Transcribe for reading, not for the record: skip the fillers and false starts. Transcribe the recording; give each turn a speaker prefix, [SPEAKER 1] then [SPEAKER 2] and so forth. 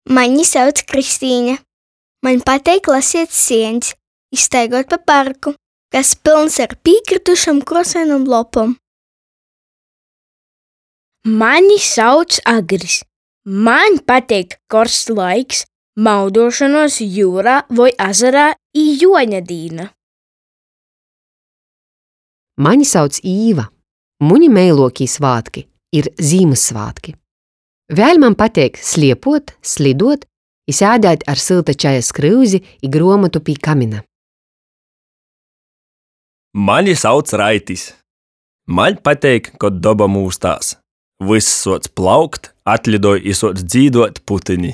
[SPEAKER 1] Mani sauc Kristīne. Maņ pateik laseit sieņs i staiguot pa parku, kas pylns ar pīkrytušom kruosainom lopom.
[SPEAKER 2] Mani sauc Agris. Maņ pateik korsts laiks, mauduošonuos jiurā voi azarā i Juoņa dīna.
[SPEAKER 3] Mani sauc Īva. Muni meiluokī svātki ir Zīmyssvātki. Vēļ man pateik sliepot, slidot i sēdēt ar sylta čaja skryuzi i gruomotu pi kamina.
[SPEAKER 4] Mani sauc Raitis. Maņ pateik, kod doba mūstās. Vyss suoc plaukt, atlidoj i suoc dzīduot putyni.